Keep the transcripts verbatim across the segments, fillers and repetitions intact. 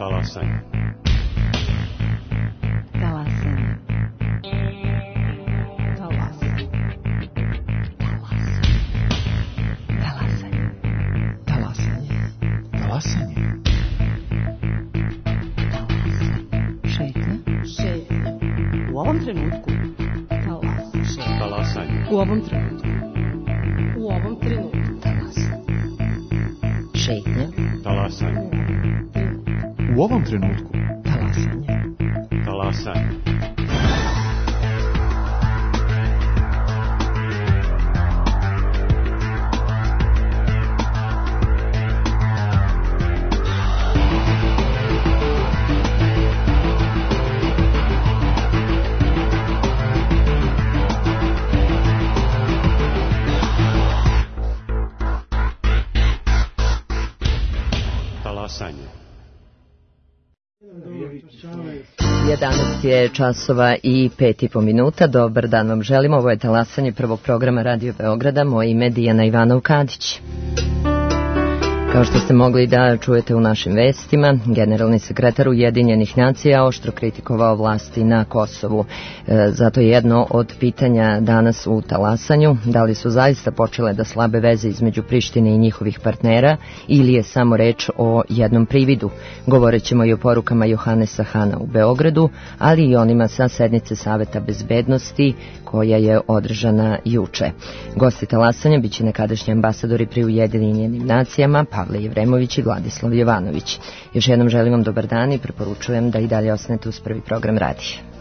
Talasanje. Talasanje. Talasanje. Talasanje. Talasanje. Šetnja. Šetnja. U ovom trenutku. Talasanje. Talasanje. U ovom trenutku. U ovom trenutku. Talasanje. Šetnja. Talasanje. U ovom trenutku. Talasanje. Talasanje. jedanaest je časova i pet i po minuta. Dobar dan vam želimo. Ovo je talasanje prvog programa Radio Beograda. Moje ime je Dijana Ivanov-Kadić. Kao što ste mogli da čujete u našim vestima, generalni sekretar Ujedinjenih nacija oštro kritikovao vlasti na Kosovu. E, zato je jedno od pitanja danas u talasanju, da li su zaista počele da slabe veze između Prištine i njihovih partnera ili je samo reč o jednom prividu. Govorit ćemo i o porukama Johanesa Hana u Beogradu, ali i onima sa sednice Saveta bezbednosti koja je održana juče. Gosti talasanja biće nekadašnji ambasadori pri Ujedinjenim nacijama Pavle Jevremović i Vladislav Jovanović. Još jednom želim vam dobar dan i preporučujem da i dalje ostanete uz prvi program radija.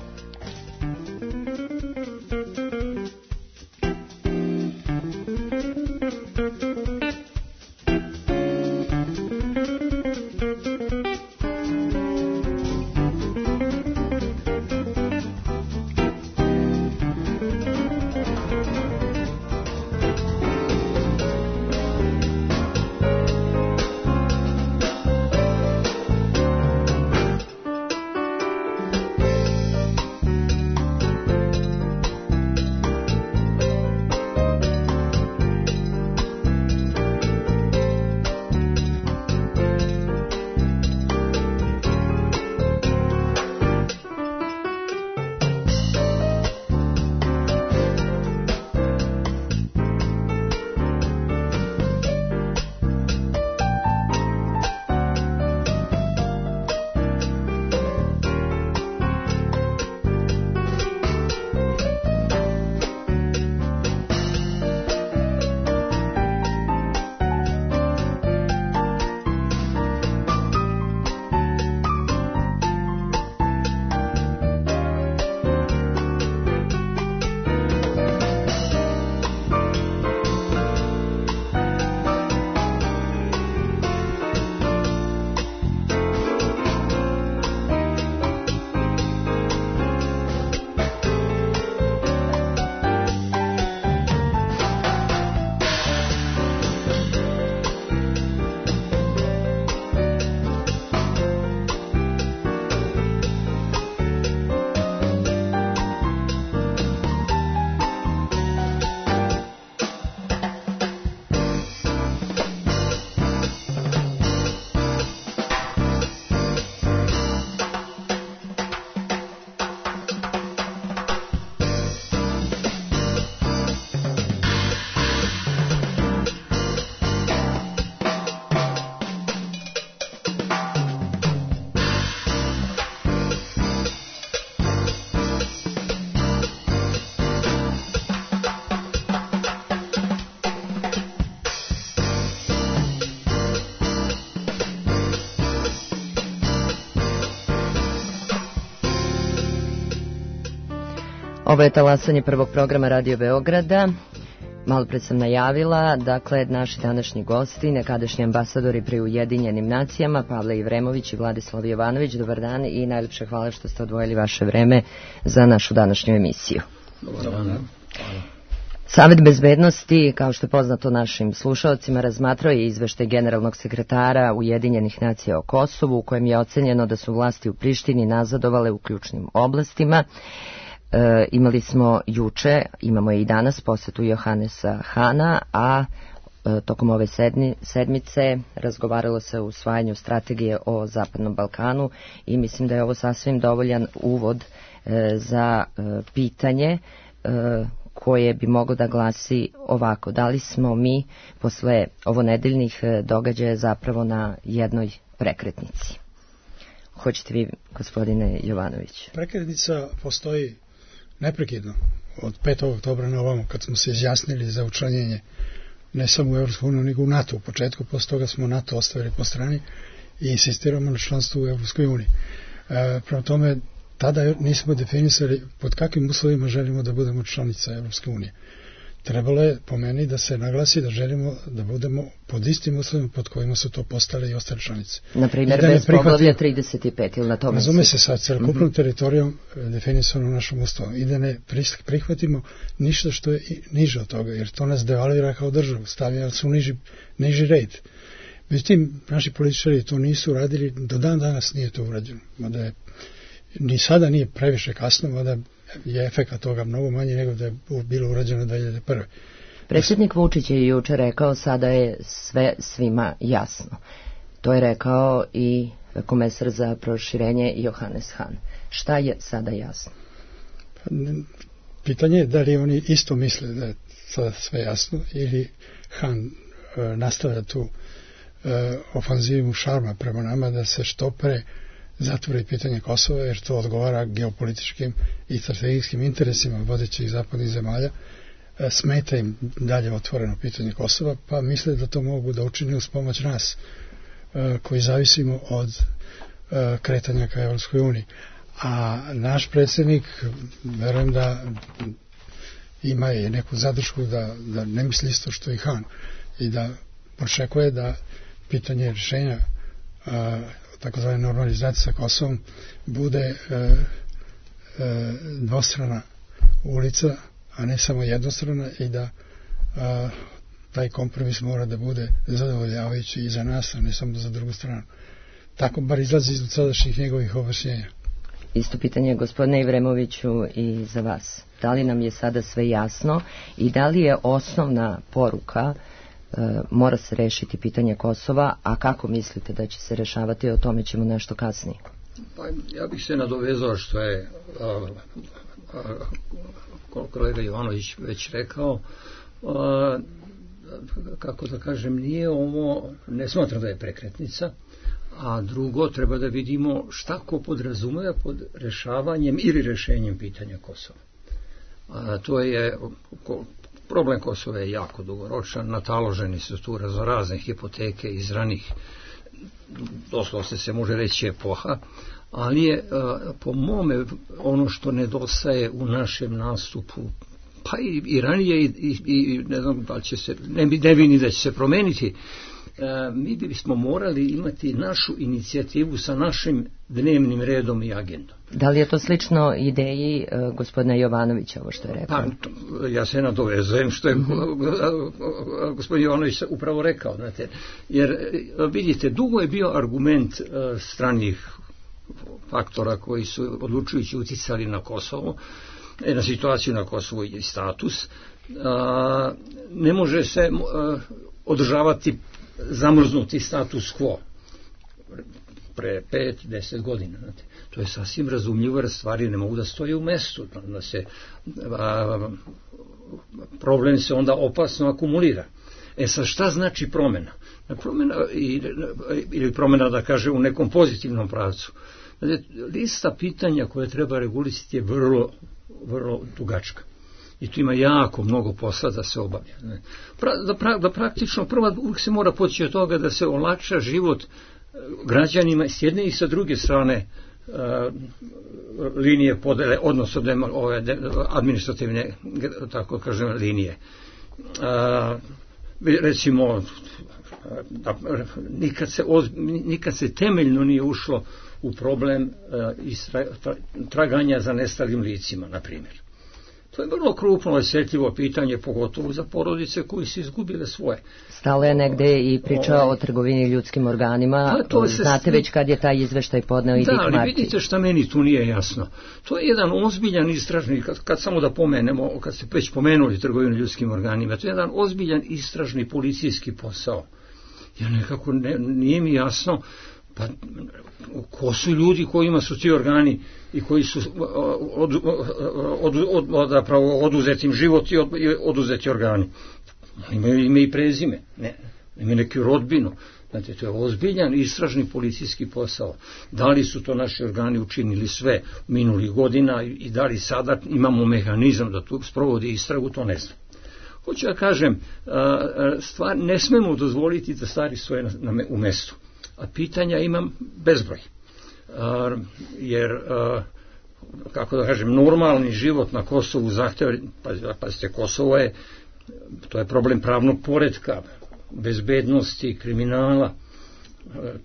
Ovo je talasanje prvog programa Radio Beograda. Malo pred sam najavila, dakle, naši današnji gosti, nekadašnji ambasadori pri Ujedinjenim nacijama, Pavle Jevremović i Vladislav Jovanović. Dobar dan i najljepše hvala što ste odvojili vaše vreme za našu današnju emisiju. Dobar dan. Savet bezbednosti, kao što je poznato našim slušalcima, razmatrao je izveštaj generalnog sekretara Ujedinjenih nacija o Kosovu, u kojem je ocenjeno da su vlasti u Prištini nazadovale u ključnim oblastima. E, imali smo juče, imamo i danas posetu Johanesa Hana, a tokom ove sedmi, sedmice razgovaralo se o usvajanju strategije o Zapadnom Balkanu i mislim da je ovo sasvim dovoljan uvod e, za e, pitanje e, koje bi moglo da glasi ovako: da li smo mi posle ovonedeljnih događaja zapravo na jednoj prekretnici? Hoćete vi, gospodine Jovanović? Prekretnica postoji neprekidno od petog oktobra na ovamo, kad smo se izjasnili za učlanjenje ne samo u Evropsku uniju, nego u NATO. U početku, posle toga smo NATO ostavili po strani i insistiramo na članstvu u Evropskoj uniji. E, prema tome, tada nismo definisali pod kakvim uslovima želimo da budemo članica Evropske unije. Trebalo je, po meni, da se naglasi da želimo da budemo pod istim uslovima pod kojima su to postale i ostale članice. Na primjer, bez poglavlja trideset pet ili na tome? Razume se sa celokupnom mm-hmm. teritorijom definisano našom ustavom i da ne prihvatimo ništa što je niže od toga, jer to nas devalvira kao državu, stavlja su niži, niži red. Međutim, naši političari to nisu radili, do dan danas nije to urađeno. Mada je, ni sada nije previše kasno, mada je efekat toga mnogo manji nego da je bilo urađeno dve hiljade prve. Predsjednik Vučić je juče rekao sada je sve svima jasno. To je rekao i komesar za proširenje Johannes Hahn. Šta je sada jasno? Pitanje je da li oni isto misle da je sada sve jasno ili Hahn e, nastavlja tu e, ofanzivu šarma prema nama da se što pre zatvori pitanje Kosova, jer to odgovara geopolitičkim i strategijskim interesima vodećih zapadnih zemalja. E, smeta im dalje otvoreno pitanje Kosova, pa misle da to mogu da učine uz pomoć nas, e, koji zavisimo od e, kretanja ka Evropskoj uniji. A naš predsjednik, verujem da ima je neku zadršku da, da ne misli isto što i Hahn i da očekuje da pitanje rješenja a, takozvane normalizacije sa Kosovom bude e, e, dvostrana ulica, a ne samo jednostrana i da a, taj kompromis mora da bude zadovoljavajući i za nas, a ne samo za drugu stranu. Tako bar izlazi iz sadašnjih njegovih objašnjenja. Isto pitanje, gospodine Ivremoviću, i za vas. Da li nam je sada sve jasno i da li je osnovna poruka e, mora se rešiti pitanje Kosova, a kako mislite da će se rešavati, o tome ćemo nešto kasnije. Pa, ja bih se nadovezao što je a, a, kolega Jovanović već rekao, a, kako da kažem, nije ovo, ne smatram da je prekretnica, a drugo, treba da vidimo šta ko podrazumeva pod rešavanjem ili rešenjem pitanja Kosova. A, to je, ko, problem Kosova je jako dugoročan, nataloženi su tu raznorazne hipoteke iz ranih, doslovno se može reći epoha, ali je a, po mome ono što nedostaje u našem nastupu, pa i, i ranije i, i, i ne znam da li će se, ne, ne vidim da će se promeniti, E, mi bismo morali imati našu inicijativu sa našim dnevnim redom i agendom. Da li je to slično ideji e, gospodina Jovanovića, ovo što je rekao? Pa, to, ja se nadovezujem što je mm-hmm. gospodin Jovanović upravo rekao. Znate, jer vidite, dugo je bio argument e, stranih faktora koji su odlučujući uticali na Kosovo, e, na situaciju na Kosovu i status. E, ne može se e, održavati zamrznuti status quo pre pet, deset godina. Znate. To je sasvim razumljivo, jer stvari ne mogu da stoje u mestu. Da se, a, problem se onda opasno akumulira. E sad, šta znači promjena? Promjena ili promjena, da kaže, u nekom pozitivnom pravcu. Znate, lista pitanja koje treba regulisati je vrlo, vrlo dugačka. I tu ima jako mnogo posla da se obavlja. Pra, da, pra, da praktično prva uvijek se mora poći od toga da se olakša život građanima s jedne i sa druge strane uh, linije podele, odnosno de, ove de, administrativne, tako kažem, linije. Uh, recimo, da, nikad, se od, nikad se temeljno nije ušlo u problem uh, istra, tra, traganja za nestalim licima, na primjer. To je vrlo krupno osjetljivo pitanje, pogotovo za porodice koji su izgubile svoje. Stalo je negde i pričao o trgovini ljudskim organima. Pa, to se znate već kad je taj izveštaj podneo i Dick Marty. Da, ali vidite šta meni tu nije jasno. To je jedan ozbiljan istražni, kad, kad samo da pomenemo, kad ste već pomenuli trgovinu ljudskim organima, to je jedan ozbiljan istražni policijski posao. Ja nekako ne, nije mi jasno, pa ko su ljudi kojima su ti organi i koji su od, od, od, od, zapravo oduzetim život i od, oduzeti organi. Imaju ime i prezime, ne, imaju neku rodbinu. Znate, to je ozbiljan istražni policijski posao. Da li su to naši organi učinili sve minulih godina i da li sada imamo mehanizam da tu sprovodi istragu, to ne znam. Hoću ja kažem, stvar, ne smemo dozvoliti da stvari stoje na, na, u mestu. A pitanja imam bezbroj. A, jer, a, kako da kažem, normalni život na Kosovu zahteva, pazite, Kosovo je, to je problem pravnog poretka, bezbednosti, kriminala,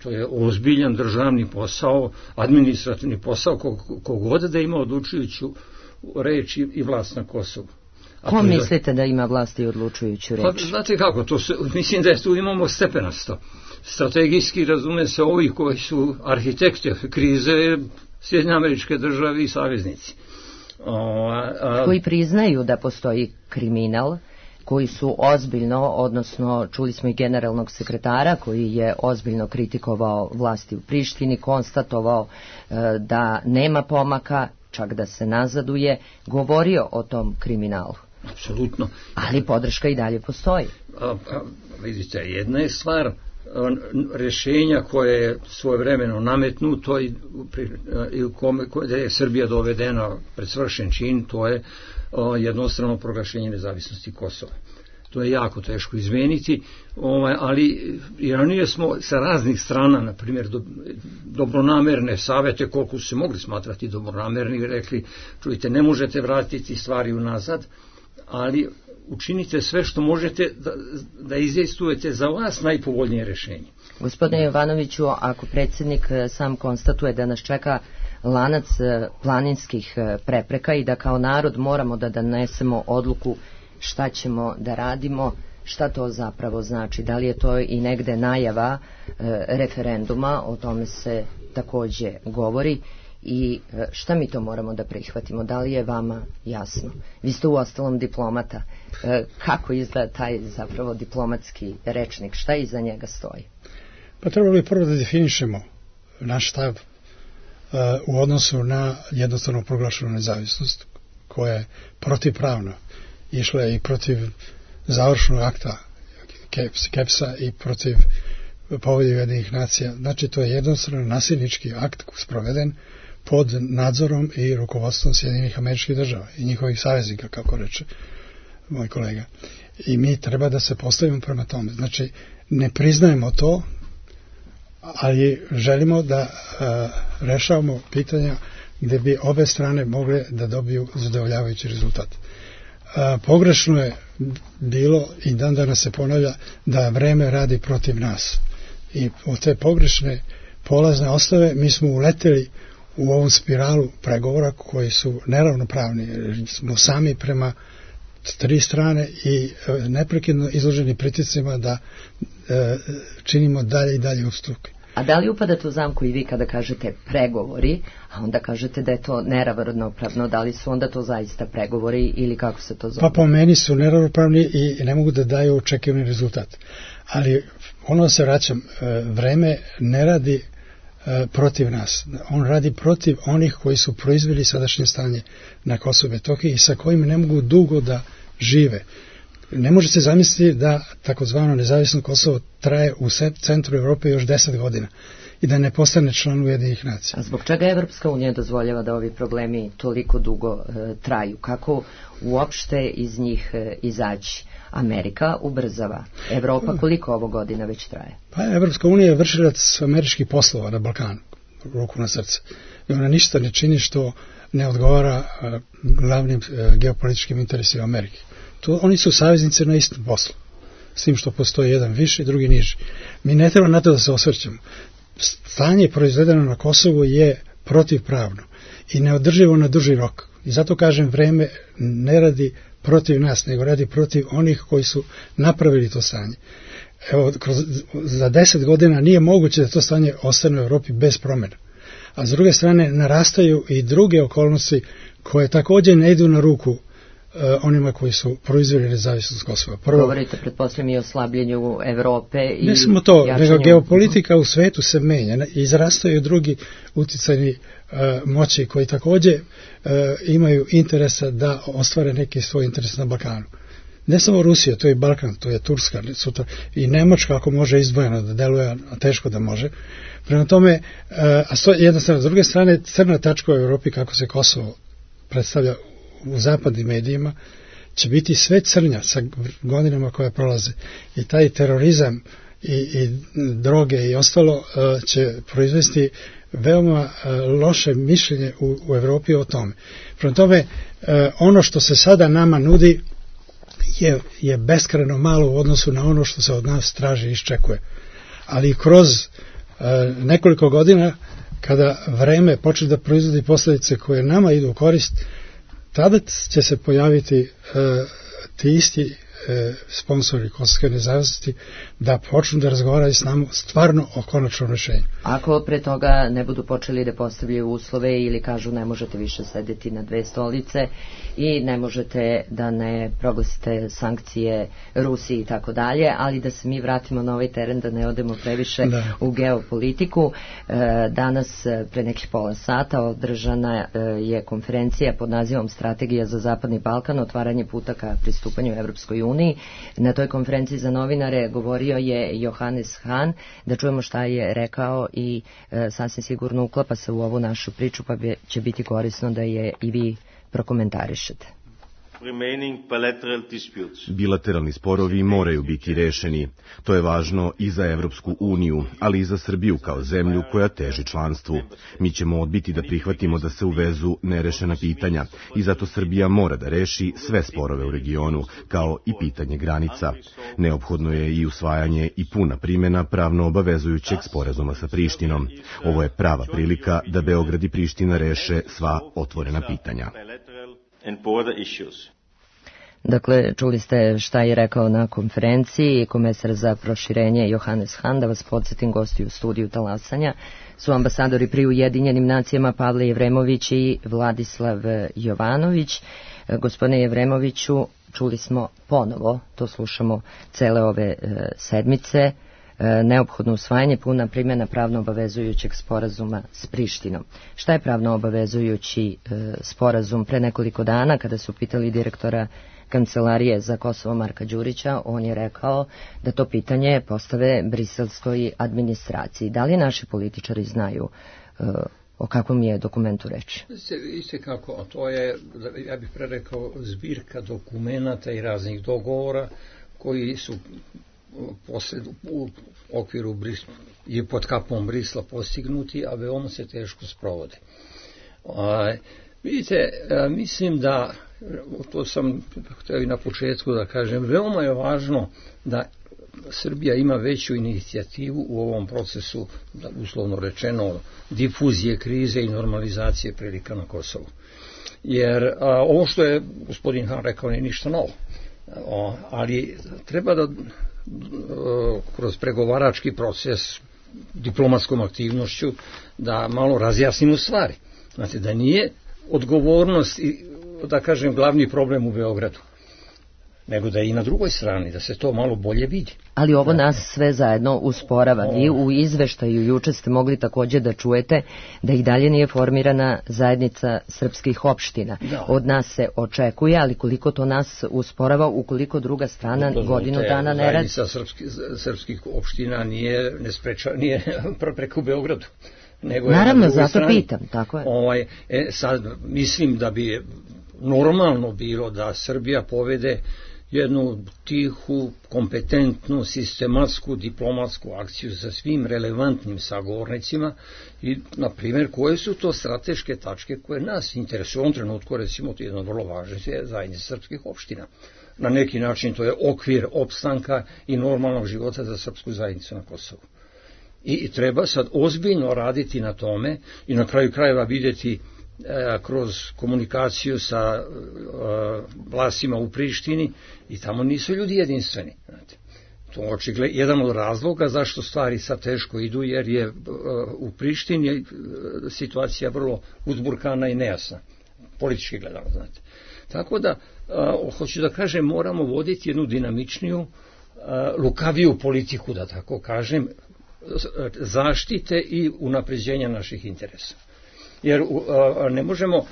to je ozbiljan državni posao, administrativni posao, kogod da ima odlučujuću reč i vlast na Kosovu. Ko mislite da ima vlast i odlučujuću reč? Pa, znate kako, to se, mislim da je tu imamo stepenasto. Strategijski razume se ovi koji su arhitekti krize, Sjedinjene Američke Države i saveznici. O, a, a... Koji priznaju da postoji kriminal, koji su ozbiljno, odnosno čuli smo i generalnog sekretara koji je ozbiljno kritikovao vlasti u Prištini, konstatovao e, da nema pomaka, čak da se nazaduje, govorio o tom kriminalu. Apsolutno. Ali podrška i dalje postoji. A, a, vidite, jedna je stvar rješenja koje je svojevremeno nametnuto i, i kome, da je Srbija dovedena pred svršen čin, to je o, jednostrano proglašenje nezavisnosti Kosova. To je jako teško izmeniti, ovaj, ali i ranije smo sa raznih strana, na primjer do, dobronamerne savete, koliko su se mogli smatrati dobronamerni, rekli, čujte, ne možete vratiti stvari unazad, ali učinite sve što možete da, da izdejstvujete za vas najpovoljnije rješenje. Gospodine Jovanoviću, ako predsjednik sam konstatuje da nas čeka lanac planinskih prepreka i da kao narod moramo da donesemo odluku šta ćemo da radimo, šta to zapravo znači? Da li je to i negde najava e, referenduma, o tome se takođe govori, i e, šta mi to moramo da prihvatimo? Da li je vama jasno? Vi ste uostalom diplomata. E, kako izgleda taj zapravo diplomatski rečnik? Šta iza njega stoji? Pa trebalo bi prvo da definišemo naš stav e, u odnosu na jednostavno proglašenu nezavisnost, koja je protivpravna. Išla je i protiv završnog akta Kepsa i protiv Povelje Ujedinjenih nacija. Znači, to je jednostavno nasilnički akt sproveden pod nadzorom i rukovodstvom Sjedinjenih Američkih Država i njihovih saveznika, kako reče moj kolega. I mi treba da se postavimo prema tome. Znači, ne priznajemo to, ali želimo da a, rešavamo pitanja gde bi obe strane mogle da dobiju zadovoljavajući rezultat. A, pogrešno je bilo i dan danas se ponavlja da vreme radi protiv nas. I od te pogrešne polazne osnove mi smo uleteli u ovu spiralu pregovora koji su neravnopravni. Smo sami prema tri strane i neprekidno izloženi pritiscima da e, činimo dalje i dalje ustupke. A da li upadate u zamku i vi kada kažete pregovori, a onda kažete da je to neravnopravno, da li su onda to zaista pregovori ili kako se to zove? Pa po meni su neravnopravni i ne mogu da daju očekivani rezultat. Ali ono se vraćam, vreme ne radi protiv nas. On radi protiv onih koji su proizveli sadašnje stanje na Kosovu i Metohiji i sa kojima ne mogu dugo da žive. Ne može se zamisliti da takozvano nezavisno Kosovo traje u centru Evrope još deset godina i da ne postane član Ujedinjenih nacija. A zbog čega Evropska unija dozvoljava da ovi problemi toliko dugo e, traju? Kako uopšte iz njih e, izaći? Amerika ubrzava. Evropa koliko ovo godina već traje? Pa Evropska unija je vršilac američkih poslova na Balkanu, ruku na srce. I ona ništa ne čini što ne odgovara a, glavnim a, geopolitičkim interesima Amerike. To, oni su saveznici na istom poslu. S tim što postoji jedan viši, drugi niži. Mi ne treba na to da se osvrćemo. Stanje proizvedeno na Kosovu je protivpravno i neodrživo na duži rok. I zato kažem, vreme ne radi protiv nas, nego radi protiv onih koji su napravili to stanje. Evo, kroz, za deset godina nije moguće da to stanje ostane u Evropi bez promjena. A s druge strane narastaju i druge okolnosti koje također ne idu na ruku uh, onima koji su proizveli nezavisnost Kosova. Prvo, govorite, pretpostavljam, i o slabljenju Evrope i ne samo to, jačanju... nego geopolitika u svetu se menja i izrastaju drugi uticajni uh, moći koji također uh, imaju interesa da ostvare neki svoj interes na Balkanu. Ne samo Rusija, to je Balkan, to je Turska, sutra, i Nemačka ako može izdvojeno da deluje, a teško da može. Prema tome, a sto, jedna strana, s druge strane, crna tačka u Evropi, kako se Kosovo predstavlja u zapadnim medijima, će biti sve crnja sa godinama koje prolaze. I taj terorizam i, i droge i ostalo će proizvesti veoma loše mišljenje u, u Evropi o tome. Prema tome, ono što se sada nama nudi je, je beskrajno malo u odnosu na ono što se od nas traži i iščekuje. Ali kroz e, nekoliko godina, kada vreme počne da proizvodi posljedice koje nama idu u korist, tada će se pojaviti e, ti isti e, sponsori kosovske nezavisnosti da počnu da razgovaraju s nama stvarno o konačnom rješenju. Ako pre toga ne budu počeli da postavljaju uslove ili kažu ne možete više sedeti na dve stolice i ne možete da ne proglasite sankcije Rusiji i tako dalje, ali da se mi vratimo na ovaj teren, da ne odemo previše da. u geopolitiku. Danas, pre nekih pola sata, održana je konferencija pod nazivom Strategija za Zapadni Balkan, otvaranje puta ka pristupanju Evropskoj uniji. Na toj konferenciji za novinare govorio je Johannes Hahn, da čujemo šta je rekao i e, sasvim sigurno uklapa se u ovu našu priču, pa bi, će biti korisno da je i vi prokomentarišete. Bilateralni sporovi moraju biti rešeni. To je važno i za Evropsku uniju, ali i za Srbiju kao zemlju koja teži članstvu. Mi ćemo odbiti da prihvatimo da se uvezu nerešena pitanja i zato Srbija mora da reši sve sporove u regionu, kao i pitanje granica. Neophodno je i usvajanje i puna primjena pravno obavezujućeg sporazuma sa Prištinom. Ovo je prava prilika da Beograd i Priština reše sva otvorena pitanja. Dakle, čuli ste šta je rekao na konferenciji komesar za proširenje Johannes Hahn. Da vas podsjetim, gosti u studiju Talasanja su ambasadori pri Ujedinjenim nacijama Pavle Jevremović i Vladislav Jovanović. Gospodine Jevremoviću, čuli smo ponovo, to slušamo cele ove e, sedmice, neophodno usvajanje, puna primjena pravno obavezujućeg sporazuma s Prištinom. Šta je pravno obavezujući e, sporazum? Pre nekoliko dana, kada su pitali direktora Kancelarije za Kosovo Marka Đurića, on je rekao da to pitanje postave briselskoj administraciji. Da li naši političari znaju e, o kakvom je dokumentu reči? Isto kako, to je, ja bih prerekao, zbirka dokumenata i raznih dogovora koji su posled, u okviru Brisla i pod kapom Brisla postignuti, a veoma se teško sprovode. A, vidite, a, mislim da, to sam htio i na početku da kažem, veoma je važno da Srbija ima veću inicijativu u ovom procesu, da, uslovno rečeno, difuzije krize i normalizacije prilika na Kosovu. Jer a, ovo što je gospodin Hahn rekao nije ništa novo, o, ali treba da kroz pregovarački proces, diplomatskom aktivnošću, da malo razjasnimo stvari. Znate, da nije odgovornost i, da kažem, glavni problem u Beogradu, nego da je i na drugoj strani, da se to malo bolje vidi. Ali ovo nas sve zajedno usporava. Vi u izveštaju juče ste mogli također da čujete da i dalje nije formirana zajednica srpskih opština. Da. Od nas se očekuje, ali koliko to nas usporava ukoliko druga strana to godinu te, dana ne radi? Zajednica srpski, srpskih opština nije, ne spreča, nije preko Beogradu. Nego Naravno, je zato strani. pitam, tako je. Ovaj, e, sad, mislim da bi normalno bilo da Srbija povede jednu tihu, kompetentnu, sistematsku, diplomatsku akciju sa svim relevantnim sagovornicima i, na primjer, koje su to strateške tačke koje nas interesuju. U ovom trenutku, recimo, to je jedno vrlo važno je zajednica srpskih opština. Na neki način to je okvir opstanka i normalnog života za srpsku zajednicu na Kosovu. I, i treba sad ozbiljno raditi na tome i na kraju krajeva vidjeti kroz komunikaciju sa vlastima u Prištini i tamo nisu ljudi jedinstveni. Znate. To je očigled, jedan od razloga zašto stvari sad teško idu, jer je u Prištini situacija vrlo uzburkana i nejasna, politički gledano, znate. Tako da, hoću da kažem, moramo voditi jednu dinamičniju, lukaviju politiku, da tako kažem, zaštite i unapređenja naših interesa. Jer ne možemo,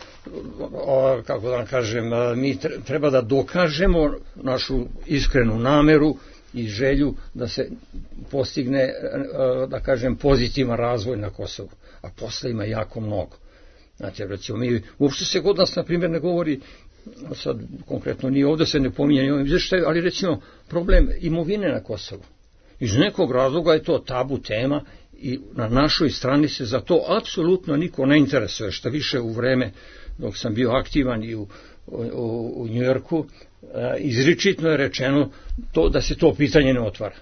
kako da kažem, mi treba da dokažemo našu iskrenu nameru i želju da se postigne, da kažem, pozitivan razvoj na Kosovu, a posle ima jako mnogo. Znači, recimo, mi, uopšte se kod nas, na primjer, ne govori, sad konkretno nije ovde se ne pominje ni ovim izveštaju, ali recimo problem imovine na Kosovu. Iz nekog razloga je to tabu tema i na našoj strani se za to apsolutno niko ne interesuje, što više u vreme dok sam bio aktivan i u, u, u Njujorku, izričitno je rečeno to da se to pitanje ne otvara.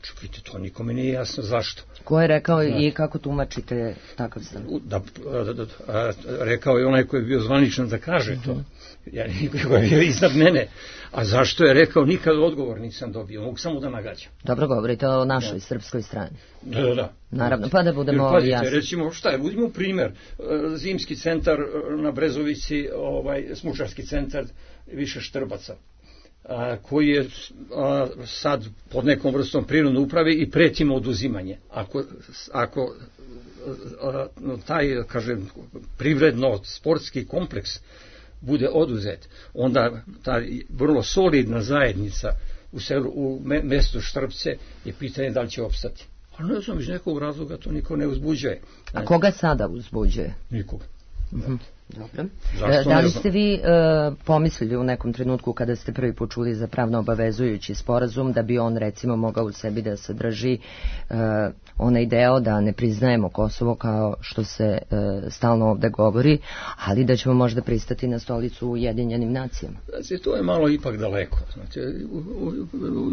Čekajte, to nikome nije jasno zašto. Ko je rekao i kako tumačite takav stav? Da, da, da, rekao je onaj koji je bio zvaničan da kaže to. Ja, koji je bio iznad mene. A zašto je rekao, nikad odgovor nisam dobio. Mogu samo da nagađam. Dobro, govorite o našoj da. Srpskoj strani. Da, da, da. Naravno, pa da budemo jer, pazite, jasni. Recimo, šta je, budimo primjer. Zimski centar na Brezovici, ovaj, smučarski centar, više Štrbaca, a, koji je a, sad pod nekom vrstom prinudne uprave i pretimo oduzimanje. Ako, ako a, taj, kažem, privredno sportski kompleks bude oduzet, onda ta vrlo solidna zajednica u, severu, u mestu Štrbce je pitanje da li će opstati. Ali ne znam, iz nekog razloga to niko ne uzbuđuje. A koga sada uzbuđuje? Nikoga. Mhm. Dobro. Da li ste vi e, pomislili u nekom trenutku kada ste prvi put čuli za pravno obavezujući sporazum da bi on recimo mogao u sebi da sadrži e, onaj deo da ne priznajemo Kosovo kao što se e, stalno ovde govori, ali da ćemo možda pristati na stolicu u Ujedinjenim nacijama? Znači, to je malo ipak daleko. Znači, u, u, u,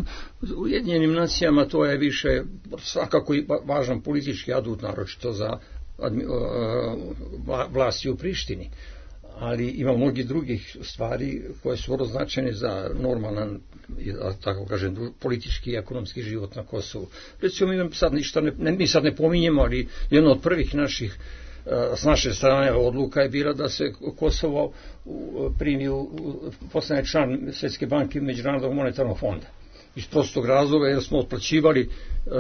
u Ujedinjenim nacijama to je više svakako i važan politički adut, naročito za vlasti u Prištini, ali ima mnogi drugih stvari koje su vrlo značajne za normalan, tako kažem, politički i ekonomski život na Kosovu. Recimo, mi sad ništa ne, mi sad ne pominjemo, ali jedno od prvih naših s naše strane odluka je bila da se Kosovo primi u postane član Svjetske banke i Međunarodnog monetarnog fonda. Iz prostog razloga jer smo otplaćivali,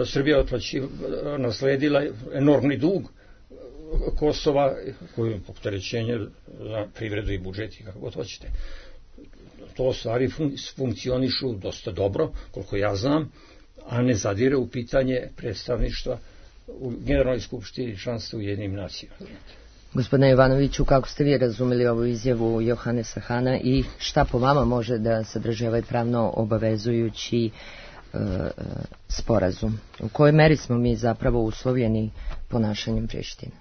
Srbija otplaćivala, nasledila enormni dug Kosova, koji je opterećenje za privredu i budžet i kako god hoćete. To stvari fun- funkcionišu dosta dobro, koliko ja znam, a ne zadire u pitanje predstavništva u Generalnoj skupštini članstva u Ujedinjenim nacijama. Gospodine Jovanoviću, kako ste vi razumeli ovu izjavu Johanesa Hana i šta po vama može da sadrži ovaj pravno obavezujući e, sporazum? U kojoj meri smo mi zapravo uslovljeni ponašanjem Prištine?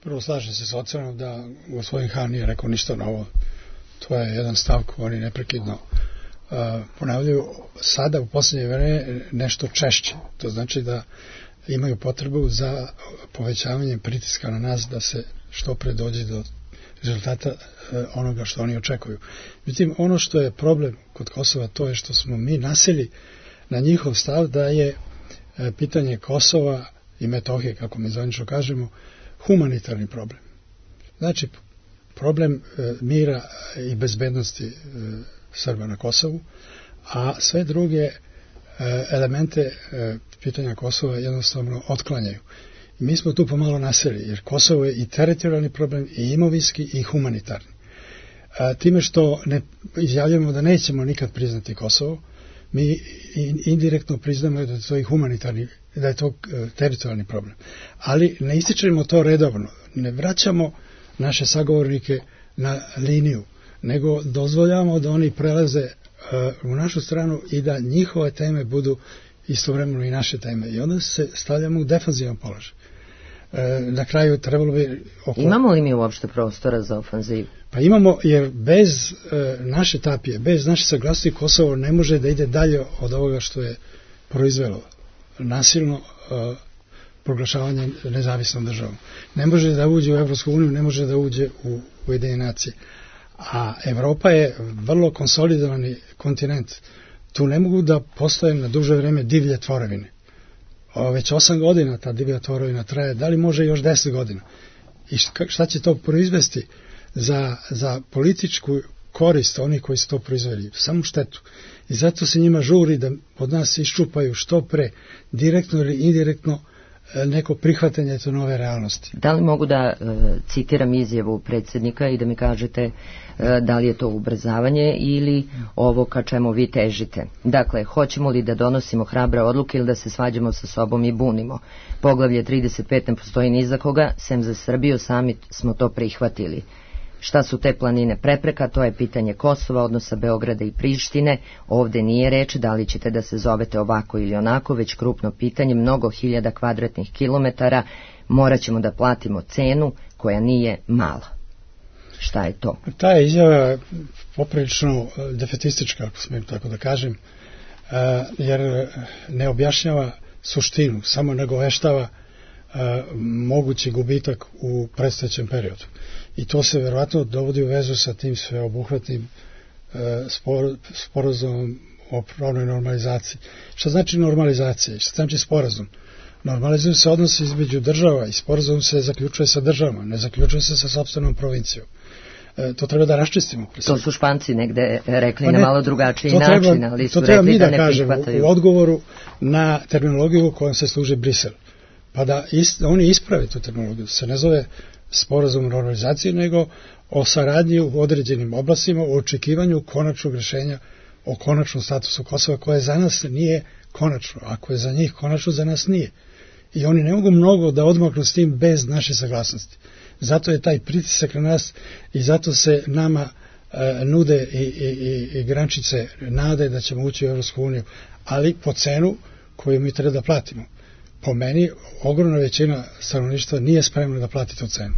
Prvo slažem se s ocenom da gospodin Han nije rekao ništa novo. To je jedan stav koji oni neprekidno uh, ponavljaju. Sada u posljednje vreme nešto češće. To znači da imaju potrebu za povećavanjem pritiska na nas da se što pre dođe do rezultata uh, onoga što oni očekuju. Međutim, ono što je problem kod Kosova to je što smo mi nasili na njihov stav da je uh, pitanje Kosova i Metohije, kako mi zvanično kažemo, humanitarni problem. Znači, problem e, mira i bezbednosti e, Srba na Kosovu, a sve druge e, elemente e, pitanja Kosova jednostavno otklanjaju. I mi smo tu pomalo naseli, jer Kosovo je i teritorijalni problem, i imovinski, i humanitarni. A, time što ne izjavljamo da nećemo nikad priznati Kosovo, mi indirektno priznamo da je to i humanitarni, da je to teritorijalni problem. Ali ne ističemo to redovno, ne vraćamo naše sagovornike na liniju, nego dozvoljamo da oni prelaze uh, u našu stranu i da njihove teme budu istovremeno i naše teme. I onda se stavljamo u defanzivan položaj. Uh, na kraju trebalo bi... Oko... Imamo li mi uopšte prostora za ofanzivu? Pa imamo, jer bez uh, naše tapije, bez naše saglasnosti Kosovo ne može da ide dalje od ovoga što je proizvelo nasilno uh, proglašavanje nezavisnom državom. Ne može da uđe u Evropsku uniju, ne može da uđe u Ujedinjene nacije. A Evropa je vrlo konsolidovani kontinent. Tu ne mogu da postoje na duže vreme divlje tvorevine. O, već osam godina ta divlja tvorevina traje, da li može još deset godina? I šta će to proizvesti za, za političku korist onih koji su to proizveli? Samo štetu. I zato se njima žuri da od nas iščupaju što pre, direktno ili indirektno, neko prihvatanje te nove realnosti. Da li mogu da e, citiram izjavu predsjednika i da mi kažete e, da li je to ubrzavanje ili ovo ka čemu vi težite? Dakle, hoćemo li da donosimo hrabre odluke ili da se svađamo sa sobom i bunimo? Poglavlje trideset pet ne postoji ni za koga, sem za Srbiju, sami smo to prihvatili. Šta su te planine prepreka? To je pitanje Kosova, odnosa Beograda i Prištine. Ovde nije reč da li ćete da se zovete ovako ili onako, već krupno pitanje, mnogo hiljada kvadratnih kilometara, morat ćemo da platimo cenu koja nije mala. Šta je to? Ta je izjava poprilično defetistička, ako smijem tako da kažem, jer ne objašnjava suštinu, samo nagoveštava mogući gubitak u predstojećem periodu. I to se verovatno dovodi u vezu sa tim sveobuhvatnim spor, sporazumom o pravnoj normalizaciji. Šta znači normalizacija? Šta znači sporazum? Normalizuju se odnosi između država i sporazum se zaključuje sa državama, ne zaključuje se sa sopstvenom provincijom. E, to treba da raščistimo. To su Španci negde rekli ne, na malo drugačiji treba, način, ali su to treba rekli mi da, da ne kažemo prihvataju. U odgovoru na terminologiju u kojom se služi Brisel. Pa da ist, oni isprave tu terminologiju. Se ne zove sporazum o normalizaciji, nego o saradnji u određenim oblastima, o očekivanju konačnog rješenja o konačnom statusu Kosova, koje za nas nije konačno. Ako je za njih konačno, za nas nije. I oni ne mogu mnogo da odmaknu s tim bez naše saglasnosti. Zato je taj pritisak na nas i zato se nama e, nude i, i, i, i grančice nade da ćemo ući u Evropsku uniju, ali po cenu koju mi treba da platimo. Po meni, ogromna većina stanovništva nije spremna da plati tu cenu.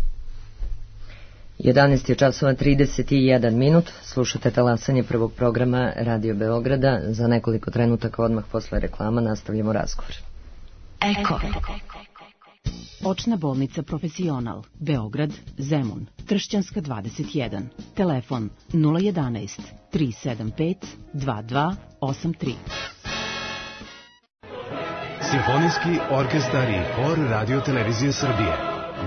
jedanaest je časova trideset jedan minut. Slušate talasanje prvog programa Radio Beograda. Za nekoliko trenutaka odmah posle reklama nastavljamo razgovor. Eko. Očna bolnica Profesional, Beograd, Zemun, Tršćanska dvadeset jedan. Telefon nula jedanaest tri sedam pet dva dva osam tri. Simfonijski orkestar i hor Radio Televizije Srbije.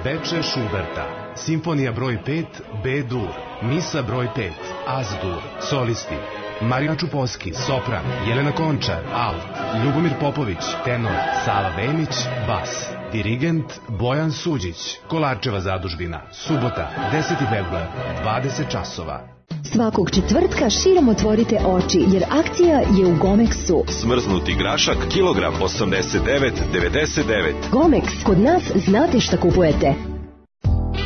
Beče Šuberta. Simfonija broj pet, B-dur. Misa broj pet, Az-dur. Solisti: Marina Čuposki, sopran, Jelena Končar, alt, Ljubomir Popović, tenor, Sava Vemić, bas. Dirigent Bojan Suđić. Kolarčeva zadužbina. Subota, deseti februar, dvadeset časova. Svakog četvrtka širom otvorite oči, jer akcija je u Gomexu. Smrznuti grašak, kilogram osamdeset devet devedeset devet. Gomex, kod nas znate šta kupujete.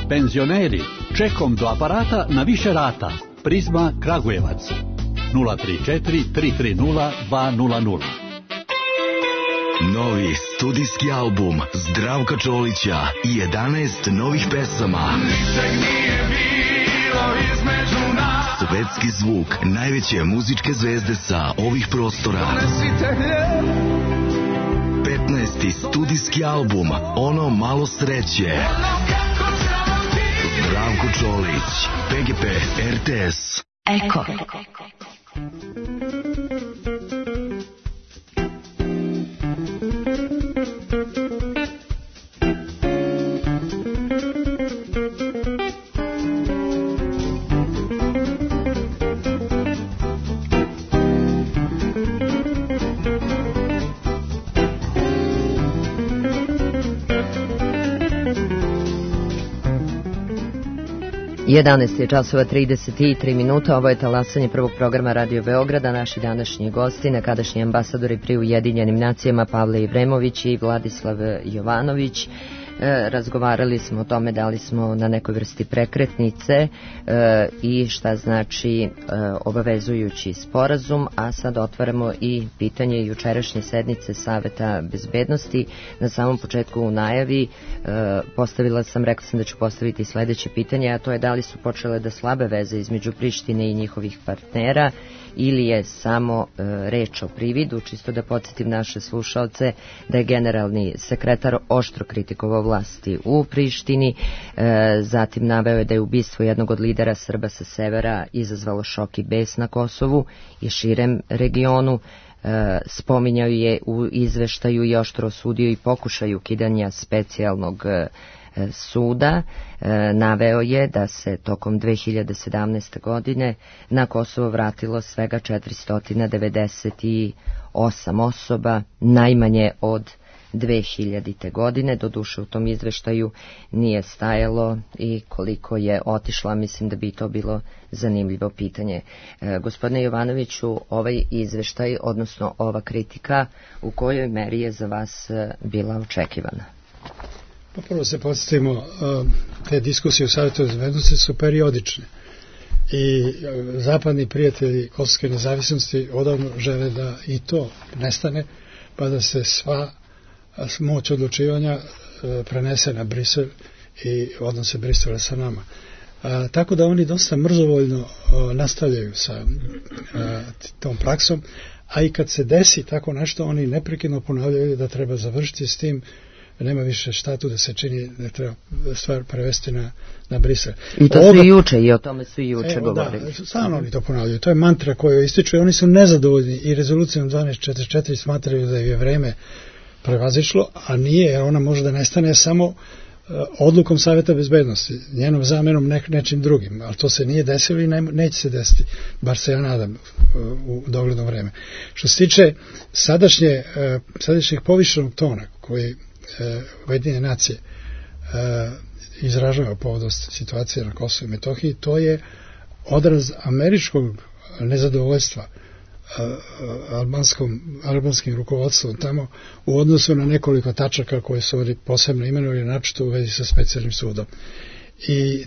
Penzioneri, čekom do aparata na više rata. Prizma Kragujevac. nula tri četiri tri tri nula dva nula nula. Novi studijski album Zdravka Čolića i jedanaest novih pesama. Ničeg nije bilo između nas. Svetski zvuk najveće muzičke zvezde sa ovih prostora. petnaesti studijski album Ono malo sreće. Zdravko Čolić, P G P, R T S. Eko. jedanaest je časova trideset tri minuta, ovo je talasanje prvog programa Radio Beograda. Naši današnji gosti, nekadašnji ambasadori pri Ujedinjenim nacijama Pavle Ivremović i Vladislav Jovanović. E, razgovarali smo o tome da li smo na nekoj vrsti prekretnice e, i šta znači e, obavezujući sporazum, a sad otvaramo i pitanje jučerašnje sednice Saveta bezbednosti. Na samom početku u najavi e, postavila sam, rekla sam da ću postaviti sledeće pitanje, a to je da li su počele da slabe veze između Prištine i njihovih partnera ili je samo e, reč o prividu. Čisto da podsjetim naše slušalce da je generalni sekretar oštro kritikovao vlasti u Prištini, e, zatim naveo je da je ubistvo jednog od lidera Srba sa severa izazvalo šok i bes na Kosovu i širem regionu. E, spominjao je u izveštaju i oštro osudio i pokušaj ukidanja specijalnog e, suda. E, naveo je da se tokom dve hiljade sedamnaeste. godine na Kosovo vratilo svega četiristo devedeset osam osoba, najmanje od dve hiljadite. godine. Doduše u tom izveštaju nije stajalo i koliko je otišla, mislim da bi to bilo zanimljivo pitanje. E, gospodine Jovanoviću, ovaj izveštaj, odnosno ova kritika, u kojoj meri je za vas bila očekivana? Pa prvo se podsjetimo, te diskusije u Savjetu bezbednosti su periodične i zapadni prijatelji kosovske nezavisnosti odavno žele da i to nestane, pa da se sva moć odlučivanja prenese na Brisel i odnose Brisela sa nama. A, tako da oni dosta mrzovoljno a, nastavljaju sa a, tom praksom, a i kad se desi tako nešto, oni neprekidno ponavljaju da treba završiti s tim, nema više šta tu da se čini, da treba stvar prevesti na, na Brisel. I to Ovoga, su i juče, i o tome su i juče evo, govorili. Da, stalno oni to ponavljaju. To je mantra koju ističu i oni su nezadovoljni i rezolucijom dvanaest četrdeset četiri smatraju da je vreme prevazišlo, a nije, jer ona može da nestane samo uh, odlukom Savjeta bezbednosti, njenom zamenom ne, nečim drugim, ali to se nije desilo i ne, neće se desiti, bar se ja nadam uh, u dogledno vreme. Što se tiče sadašnje, uh, sadašnjeg povišenog tona koji Ujedinjene nacije uh, izražava povodom situacije na Kosovu i Metohiji, to je odraz američkog nezadovoljstva uh, albanskom, albanskim rukovodstvom tamo u odnosu na nekoliko tačaka koje su ovdje posebno imenovali, načito u vezi sa specijalnim sudom. I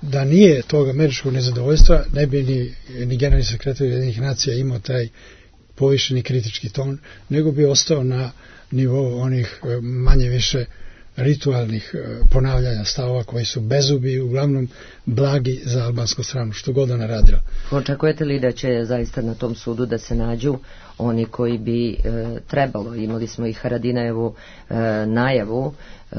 da nije tog američkog nezadovoljstva, ne bi ni, ni generalni sekretar Ujedinjenih nacija imao taj povišeni kritički ton, nego bi ostao na nivou onih manje više ritualnih ponavljanja stavova koji su bezubi i uglavnom blagi za albansku stranu, što god ona radila. Očekujete li da će zaista na tom sudu da se nađu oni koji bi e, trebalo? Imali smo i Haradinajevu e, najavu e,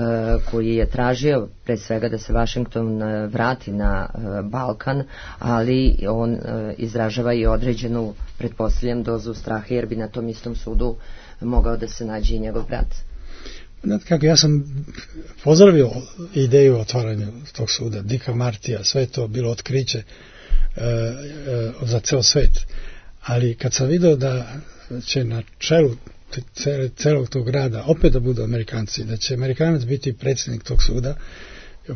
koji je tražio pre svega da se Vašington e, vrati na e, Balkan, ali on e, izražava i određenu, pretpostavljam, dozu straha, jer bi na tom istom sudu mogao da se nađe i njegov brat. Znate kako, ja sam pozdravio ideju otvaranja tog suda, Dicka Martija, sve to bilo otkriće e, e, za ceo svet. Ali kad sam vidio da će na čelu celog tog grada opet da budu Amerikanci, da će Amerikanac biti predsjednik tog suda,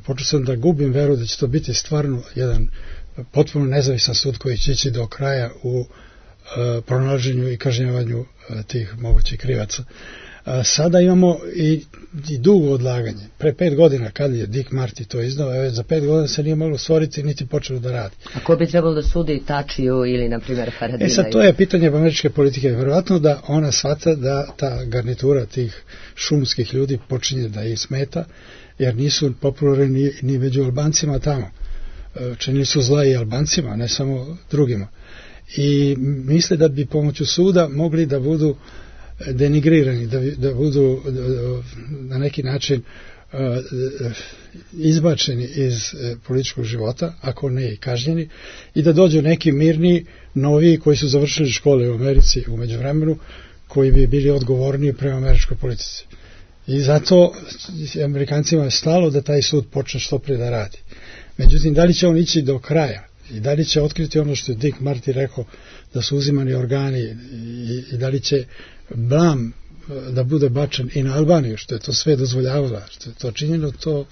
počeo sam da gubim veru da će to biti stvarno jedan potpuno nezavisan sud koji će ići do kraja u uh, pronalaženju i kažnjavanju uh, tih mogućih krivaca. Uh, sada imamo i, i dugo odlaganje. Pre pet godina kad je Dick Marty to izdao, već za pet godina se nije moglo stvoriti niti počelo da radi. A ko bi trebalo da sudi Tačiju ili, na primjer, Haradinaju? E sad, to je pitanje američke politike. Vjerovatno da ona shvata da ta garnitura tih šumskih ljudi počinje da ih smeta, jer nisu popularni ni, ni među Albancima tamo. Činili su zla i Albancima, ne samo drugima. I misle da bi pomoću suda mogli da budu denigrirani, da, da budu na neki način uh, izbačeni iz uh, političkog života, ako ne i kažnjeni, i da dođu neki mirni, novi koji su završili škole u Americi u međuvremenu, koji bi bili odgovorniji prema američkoj politici. I zato Amerikancima je stalo da taj sud počne što prije da radi. Međutim, da li će on ići do kraja i da li će otkriti ono što je Dick Marty rekao, da su uzimani organi, i, i da li će blam da bude bačen i na Albaniju, što je to sve dozvoljavala, što je to činjeno, to,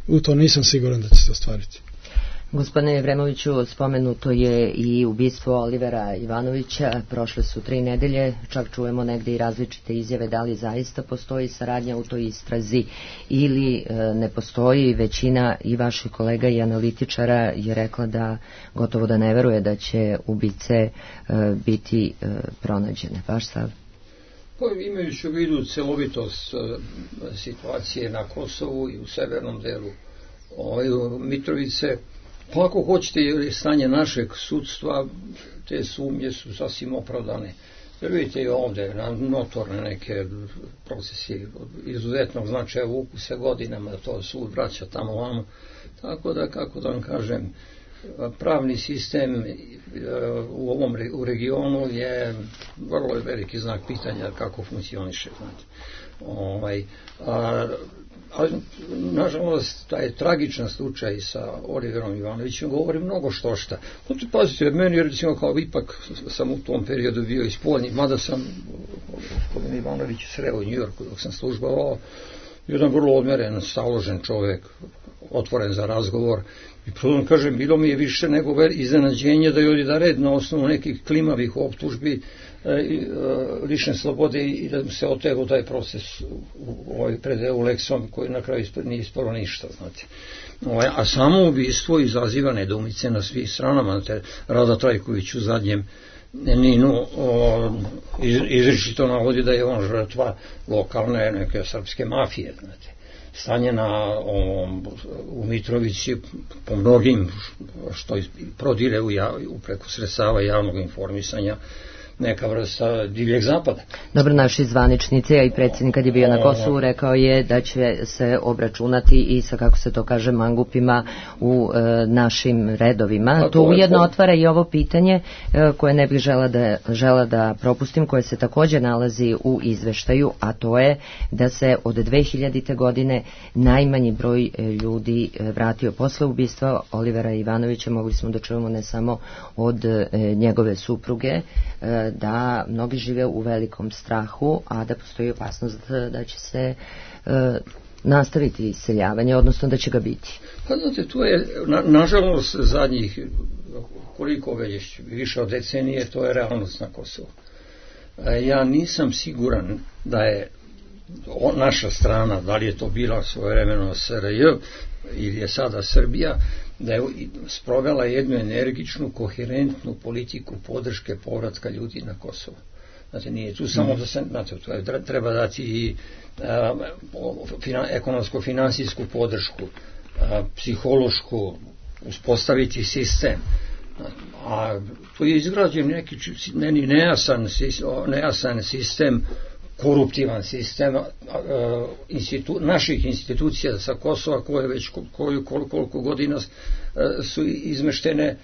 u to nisam siguran da će se ostvariti. Gospodine Jevremoviću, spomenuto je i ubistvo Olivera Ivanovića, prošle su tri nedelje, čak čujemo negde i različite izjave da li zaista postoji saradnja u toj istrazi ili e, ne postoji. Većina i vaših kolega i analitičara je rekla da gotovo da ne veruje da će ubice e, biti e, pronađene. Vaš stav? Pa, imajući u vidu celovitost e, situacije na Kosovu i u severnom delu ovaj, Mitrovice, Pa ako hoćete, stanje našeg sudstva, te sumnje su sasvim opravdane. Jer vidite i ovde, notorne neke procesi izuzetnog značaja vuku se godinama, da to sud vraća tamo vamo. Tako da, kako da vam kažem, pravni sistem u ovom u regionu je vrlo veliki znak pitanja kako funkcioniše. Znate. Ovaj, a, a, nažalost, taj tragičan slučaj sa Oliverom Ivanovićem govori mnogo što šta. Pazite, meni recimo kao ipak sam u tom periodu bio i spoljni, mada sam gospodin Ivanović sreo u Njujorku dok sam službovao, jedan vrlo odmeren, staložen čovjek, otvoren za razgovor. I prvo kažem, bilo mi je više nego iznenađenje da je ovdje da red na osnovu nekih klimavih optužbi lične slobode i da se otego taj proces u ovaj pred Euleksom koji na kraju nije ispalo ništa, znate. Ovaj, a samo ubistvo izaziva nedoumice na svih stranama. Rada Trajković u zadnjem Ninu iz, izričito navodi da je on žrtva lokalne neke srpske mafije, znate. Stanje na, ovom, u Mitrovici po mnogim što prodire u, jav, u preko sredstava javnog informisanja neka vrsta divljeg zapada. Dobro, naši zvaničnici, a i predsjednik kad je bio na Kosovu rekao je da će se obračunati i sa, kako se to kaže, mangupima u e, našim redovima. To, to ujedno to... otvara i ovo pitanje e, koje ne bih žela da, žela da propustim, koje se također nalazi u izveštaju, a to je da se od dve hiljadite godine najmanji broj e, ljudi e, vratio posle ubistva Olivera Ivanovića. Mogli smo da čujemo ne samo od e, njegove supruge, e, da mnogi žive u velikom strahu, a da postoji opasnost da će se e, nastaviti iseljavanje, odnosno da će ga biti. Pa znate, tu je, na, nažalost, zadnjih koliko već više od decenije, to je realnost na Kosovu. E, ja nisam siguran da je naša strana, da li je to bila svojevremeno S R J ili je sada Srbija, da je sprovela jednu energičnu, koherentnu politiku podrške povratka ljudi na Kosovo. Znate, nije tu samo da se, znate, treba dati i a, fina, ekonomsko-finansijsku podršku, a, psihološku, uspostaviti sistem. A tu je izgrađen neki meni nejasan, nejasan sistem, koruptivan sistem institu, naših institucija sa Kosova koje već koju, koliko, koliko godina su izmeštene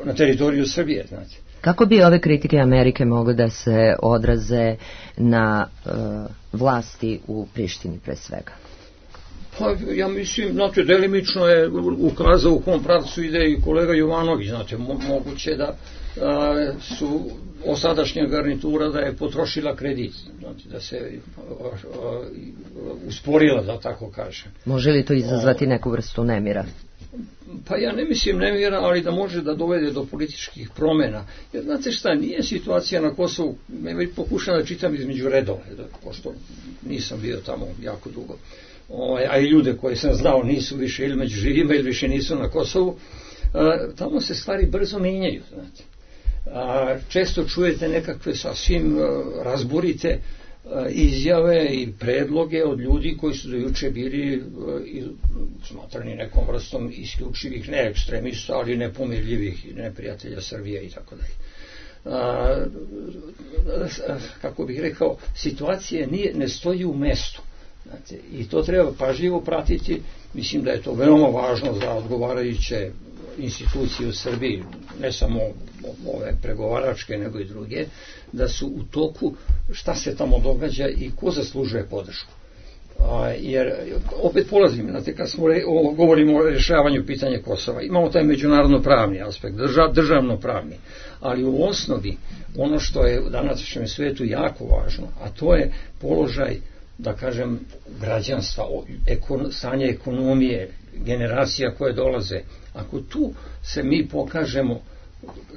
na teritoriju Srbije. Znači. Kako bi ove kritike Amerike mogle da se odraze na uh, vlasti u Prištini pre svega? Pa ja mislim, znate, delimično je ukazao u kom pravcu ide i kolega Jovanović, znate, mo, moguće da a, su osadašnja garnitura da je potrošila kredit, znači da se a, a, usporila, da tako kažem. Može li to izazvati neku vrstu nemira? Pa ja ne mislim nemira, ali da može da dovede do političkih promjena. Jer znate šta, nije situacija na Kosovu, ja već pokušam da čitam između redova, pošto nisam bio tamo jako dugo. O, a i ljude koje sam znao nisu više ili među živima ili više nisu na Kosovu, a, tamo se stvari brzo mijenjaju, znate. A, često čujete nekakve sasvim a, razborite a, izjave i predloge od ljudi koji su do juče bili a, i, smatrani nekom vrstom isključivih, ne ekstremista, ali nepomirljivih neprijatelja Srbije i tako dalje. Kako bih rekao, situacija nije, ne stoji u mestu. Znate, i to treba pažljivo pratiti. Mislim da je to veoma važno za odgovarajuće institucije u Srbiji, ne samo ove pregovaračke nego i druge, da su u toku šta se tamo događa i ko zaslužuje podršku. A, jer opet polazim, znate, kad smo re, o, govorimo o rješavanju pitanja Kosova, imamo taj međunarodno pravni aspekt, držav, državno pravni, ali u osnovi ono što je u današnjem svijetu jako važno, a to je položaj, da kažem, građanstva, ekon, stanje ekonomije, generacija koje dolaze. Ako tu se mi pokažemo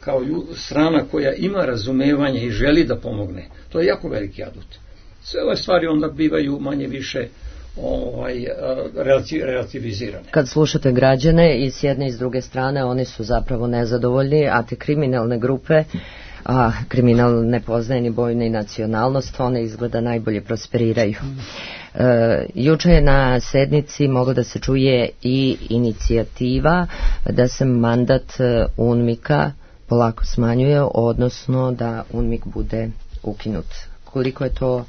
kao strana koja ima razumevanje i želi da pomogne, to je jako veliki adut. Sve ove stvari onda bivaju manje više ovaj, relativizirane. Kad slušate građane i s jedne i s druge strane, oni su zapravo nezadovoljni, a te kriminalne grupe, a kriminal ne poznaje ni boju ni nacionalnost, one izgleda najbolje prosperiraju. juče je na sednici moglo da se čuje i inicijativa da se mandat UNMIK-a polako smanjuje, odnosno da UNMIK bude ukinut. Koliko je to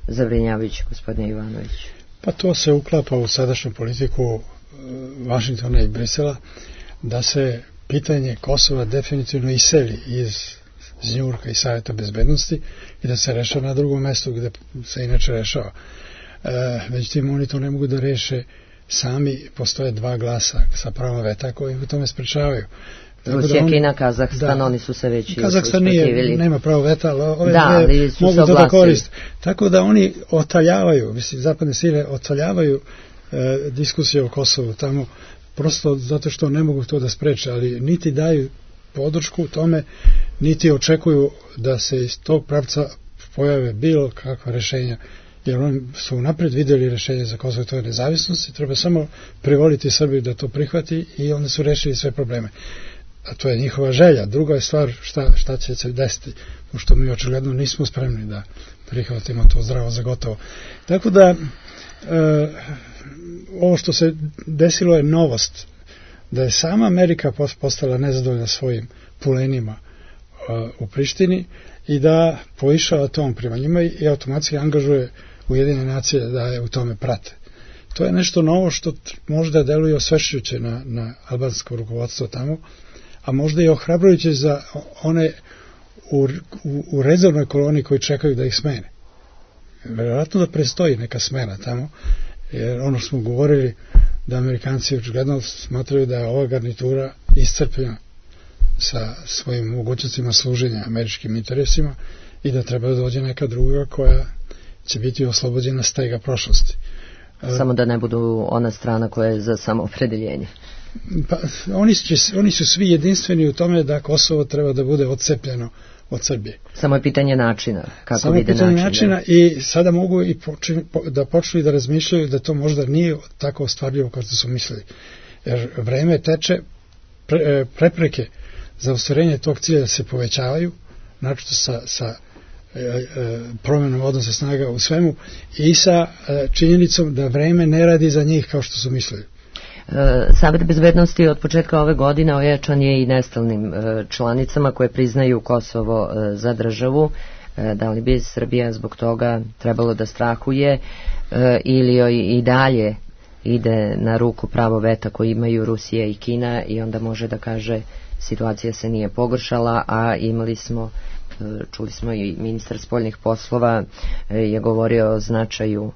zabrinjavajuće, gospodine Ivanović? Pa to se uklapa u sadašnju politiku Vašingtona i Brisela, da se pitanje Kosova definitivno iseli iz iz Njujorka i Savjeta bezbednosti i da se rešava na drugom mestu gde se inače rešava. E, međutim, oni to ne mogu da reše sami, postoje dva glasa sa pravom veta koji u tome sprečavaju. Rusija, da Kina, Kazahstan, da, oni su se već Kazahstan nije, nema pravo veta, ali ove da, dve mogu to da koriste. Tako da oni otaljavaju, mislim, zapadne sile otaljavaju e, diskusije o Kosovu tamo, prosto zato što ne mogu to da spreče, ali niti daju podršku tome, niti očekuju da se iz tog pravca pojave bilo kakva rešenja, jer oni su napred videli rešenje za Kosovo i to je nezavisnost i treba samo privoliti Srbiju da to prihvati i onda su rešili sve probleme. A to je njihova želja. Druga je stvar šta, šta će se desiti, pošto mi očigledno nismo spremni da prihvatimo to zdravo za gotovo. Tako da e, ovo što se desilo je novost, da je sama Amerika postala nezadovoljna svojim pulenima uh, u Prištini i da poišava tom prema njima i automatski angažuje Ujedinjene nacije da je u tome prate. To je nešto novo što možda deluje osvešćujuće na, na albansko rukovodstvo tamo, a možda i ohrabrujuće za one u, u, u rezervnoj koloniji koji čekaju da ih smene. Vjerojatno da prestoji neka smena tamo, jer ono što smo govorili da Amerikanci očigledno smatraju da je ova garnitura iscrpljena sa svojim mogućnostima služenja američkim interesima i da treba da dođe neka druga koja će biti oslobođena stega prošlosti. Samo da ne budu ona strana koja je za samoopredeljenje. Pa, oni, će, oni su svi jedinstveni u tome da Kosovo treba da bude odcepljeno od Srbije. Samo je pitanje načina. Kako Samo je pitanje način, načina da... i sada mogu i počin, da počnu i da razmišljaju da to možda nije tako ostvarljivo kao što su mislili. Jer vreme teče, pre, prepreke za ostvarenje tog cilja se povećavaju, naročito sa, sa e, e, promjenom odnosa snaga u svemu i sa e, činjenicom da vreme ne radi za njih kao što su mislili. Savet bezbednosti od početka ove godine ojačan je i nestalnim članicama koje priznaju Kosovo za državu. Da li bi Srbija zbog toga trebalo da strahuje ili joj i dalje ide na ruku pravo veta koji imaju Rusija i Kina i onda može da kaže situacija se nije pogoršala, a imali smo, čuli smo i ministar spoljnih poslova je govorio o značaju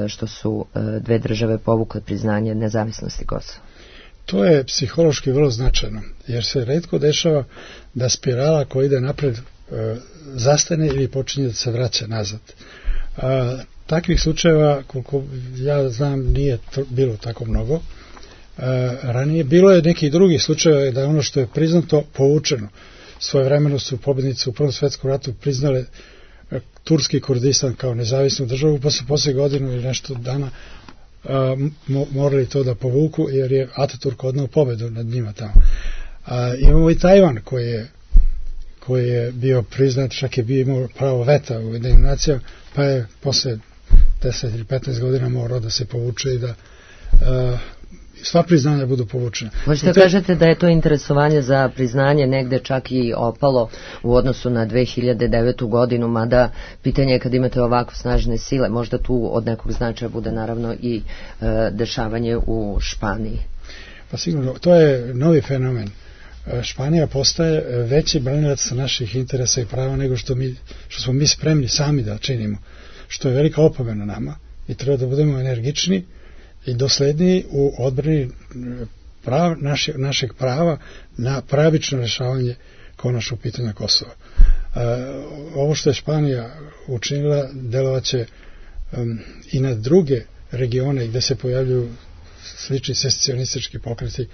što su dve države povukle priznanje nezavisnosti Kosova. To je psihološki vrlo značajno, jer se retko dešava da spirala koja ide napred zastane ili počinje da se vraća nazad. A, takvih slučajeva, koliko ja znam, nije to bilo tako mnogo. A, ranije bilo je nekih drugih slučajeva da ono što je priznato povučeno. Svojevremeno su pobjednici u Prvom svetskom ratu priznale Turski Kurdistan kao nezavisnu državu, pa su posle godinu ili nešto dana a, mo, morali to da povuku, jer je Ataturk odnao pobedu nad njima tamo. A, imamo i Tajvan koji je, koji je bio priznat, čak je bio imao pravo veta u Ujedinjenim nacijama, pa je posle deset ili petnaest godina morao da se povuče i da a, sva priznanja budu povučena. Možete te... kažete da je to interesovanje za priznanje negde čak i opalo u odnosu na dve hiljade devetu godinu, mada pitanje je kad imate ovako snažne sile, možda tu od nekog značaja bude naravno i e, dešavanje u Španiji. Pa sigurno, to je novi fenomen. Španija postaje veći branilac naših interesa i prava nego što, mi, što smo mi spremni sami da činimo, što je velika opomena nama i treba da budemo energični i dosledniji u odbrani prav, naše, našeg prava na pravično rešavanje konačnog pitanja Kosova. E, ovo što je Španija učinila delovaće um, i na druge regione gde se pojavljuju slični secesionistički pokreti,